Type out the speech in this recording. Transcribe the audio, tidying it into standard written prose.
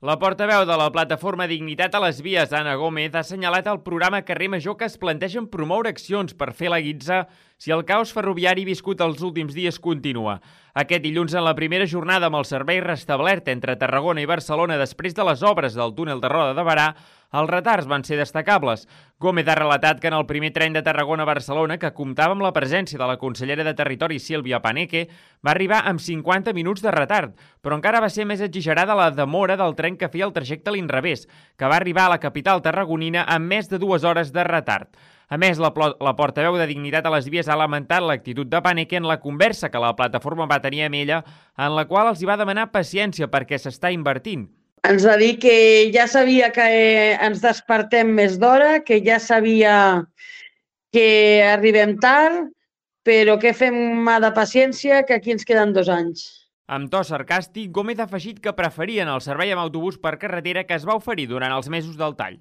La portaveu de la plataforma Dignitat a les Vies, Anna Gómez, ha assenyalat al programa Carrer Major que es plantegen promoure accions per fer la guitza si el caos ferroviari viscut els últims dies continua. Aquest dilluns, en la primera jornada amb el servei restablert entre Tarragona i Barcelona després de les obres del túnel de Roda de Berà, els retards van ser destacables. Gómez ha relatat que en el primer tren de Tarragona a Barcelona, que comptava amb la presència de la consellera de Territori Sílvia Paneque, va arribar amb 50 minuts de retard, però encara va ser més exagerada la demora del tren que feia el trajecte a l'inrevés, que va arribar a la capital tarragonina amb més de 2 hores de retard. A més, la portaveu de Dignitat a les Vies ha lamentat l'actitud de Paneque en la conversa que la plataforma va tenir amb ella, en la qual els hi va demanar paciència perquè s'està invertint. Ens va dir que ja sabia que ens despertem més d'hora, que ja sabia que arribem tard, però que fem mà de paciència, que aquí ens queden 2 anys. Amb to sarcàstic, Gómez ha afegit que preferien el servei amb autobús per carretera que es va oferir durant els mesos del tall.